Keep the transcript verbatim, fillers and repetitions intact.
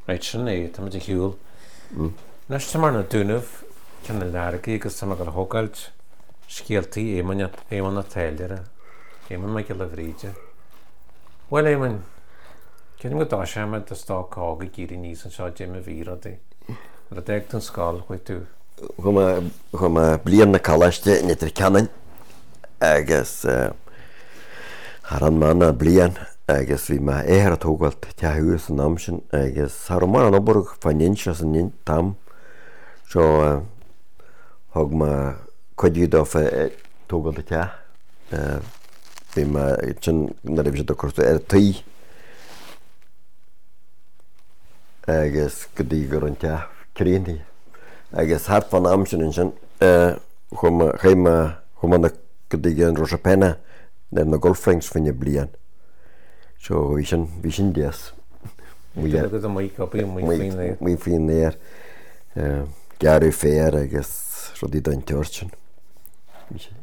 Right, sin é, tá muid ar shiúl. Anois tá mé ar na Dúnaibh, Cionn an Leargaigh agus tá mé ag dul a thógáilt scéaltaí Éamoinn, Éamonn a' Táilliúra, Éamonn Mac Giolla Bhríde. Bhuel, Éamoinn, creidim go dtoiseoidh muid i do stoc óg ag éirí aníos anseo, dé mar bhí rudaí. Nuair a d'fhág tú an scoil, chuaigh tú. Chuaigh mé, chuaigh mé bliain na coláiste i Leitir Ceanainn agus cha raibh mé ann ach bliain agus bhí m'athair ag tógáil teach thuas san am sin agus cha raibh mórán obair fán Inse san t-am so thug mé cuidiú dófa ag tógáil an teach. Bhí mé sin nuair a bhí siad ag cur ar an tuí agus go dtí go raibh an teach críochnaithe. Agus thart fán am sin ansin chuaigh mé, chuaigh mé, chuaigh mé go dtí an Rosapenna ar na golf links fá choinne bliain. So bhí sin, bhí sin deas. Bhí tú amuigh ag obair amuigh faoin aer. Amuigh faoin aer, gearradh féar agus rudaí den tseort sin. Bhí sé.